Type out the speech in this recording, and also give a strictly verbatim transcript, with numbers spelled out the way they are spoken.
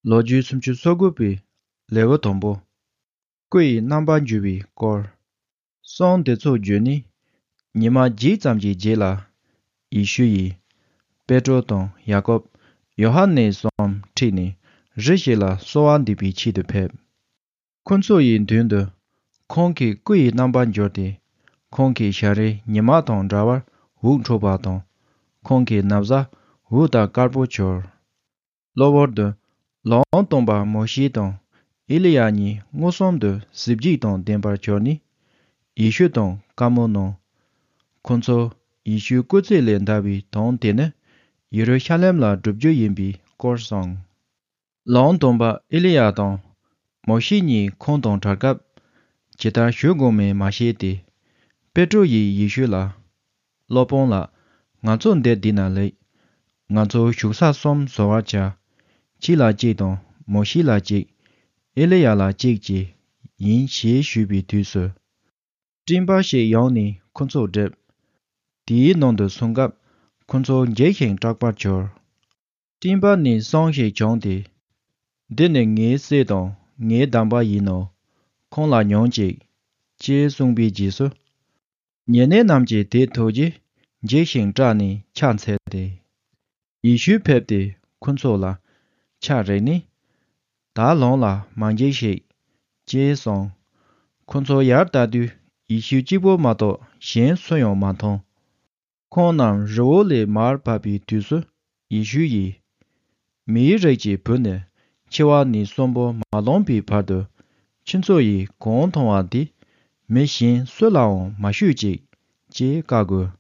ལོ་རྒྱུས་སུམ་ཅུ་སོ་དགུ་པའི་ལེའུ་དང་པོ། སྐུ་ཡི་རྣམ་པར་འགྱུར་བའི་སྐོར། གསུང་འདི་ཚོ་བརྗོད་ནས། ཉི་མ་བརྒྱད་ཙམ་གྱི་རྗེས་ལ། ཡེ་ཤུ་ཡིས། པེ་ཏྲོ་དང་ཡ་ཀོབ། ཡོ་ཧ་ནེ་གསུམ་ཁྲིད་ནས། རི་ཞིག་ལ་གསོལ་བ་འདེབས་པའི་ཆེད་དུ་ཕེབས། ཁོ་ཚོ་ཡི་མདུན་དུ། ཁོང་གི་སྐུ་ཡི་རྣམ་པར་འགྱུར་ཏེ། ཁོང་གི་ཞལ་རས་ཉི་མ་དང་འདྲ་བར་འུག་འཁྲུགས་པ་དང་། ཁོང་གི་ན་བཟའ་འུག་དང་དཀར་པོ་གྱུར། གློ་བུར་དུ། ལམ་སྟོན་པ་མོ་ཤེ་དང་། ཨེ་ལི་ཡ་གཉིས་མངོན་སུམ་དུ་གཟི་བརྗིད་དང་ལྡན་པར་གྱུར་ནས། ཡེ་ཤུ་དང་བཀའ་མོལ་གནང་། ཁོ་ཚོ་ཡེ་ཤུའི་སྐུ་ཚེ་ལས་འདའ་བའི་དོན་དེ་ནི། ཡེ་རུ་ཤ་ལེམ་ལ་བསྒྲུབ་རྒྱུ་ཡིན་པའི་སྐོར་གསུངས། ལམ་སྟོན་པ་ཨེ་ལི་ཡ་དང་། མོ་ཤེ་གཉིས་ཁོང་དང་བྲལ་སྐབས། ཇི་ལྟར་བཞུགས་དགོས་མིན་མ་ཤེས་ཏེ། པེ་ཏྲོ་ཡིས་ཡེ་ཤུ་ལ། སློབ་དཔོན་ལགས། ང་ཚོ་འདིར་བསྡད་ན་ལེགས། ང་ཚོ་བཞུགས་ས་གསུམ་བཟོ་བར་བྱ། གཅིག་ལ་གཅིག་དང་མོ་ཤེ་ལ་གཅིག་ཨེ་ལི་ཡ་ལ་གཅིག་བཅས་ཡིན་ཞེས་ཞུས་པའི་དུས་སུ། སྤྲིན་པ་ཞིག་ཡོང་ནས་ཁོ་ཚོ་བསྒྲིབས། དེའི་ནང་དུ་སོང་སྐབས། ཁོ་ཚོ་འཇིགས་ཤིང་སྐྲག་པར་གྱུར། སྤྲིན་པ་ནས་གསུང་ཞིག་བྱུང་སྟེ། འདི་ནི་ངའི་སྲས་དང་ངའི་བདམས་པ་ཡིན་ནོ། ཁོང་ལ་ཉོན་ཅིག་ཅེས་གསུངས་པའི་རྗེས་སུ། ཉེ་གནས་རྣམས་ཀྱིས་དེ་ཐོས་རྗེས་འཇིགས་ཤིང་སྐྲག་ནས་ཕྱག་འཚལ་ཏེ། ཡེ་ཤུ་ཕེབས་ཏེ་ཁོ་ཚོ་ལ་ཕྱག་རེག་ནས། ད་ལམ་ལ་མ་འཇིགས་ཤིག་ཅེས་གསུངས། ཁོ་ཚོ་ཡར་ལྟ་དུས་ཡེ་ཤུ་གཅིག་པུ་མ་གཏོགས་གཞན་སུ་ཡང་མ་མཐོང་། ཁོང་རྣམས་རི་བོ་ལས་མར་བབས་པའི་དུས་སུ་ཡེ་ཤུ་ཡིས། མིའི་རིགས་ཀྱི་བུ་ནི་འཆི་བ་ནས་གསོན་པོ་མ་ལོན་པའི་བར་དུ་ཁྱེད་ཚོ་ཡིས་གང་མཐོང་བ་འདི་མི་གཞན་སུ་ལའང་མ་ཞུས་ཅིག་ཅེས་བཀའ་བསྒོས།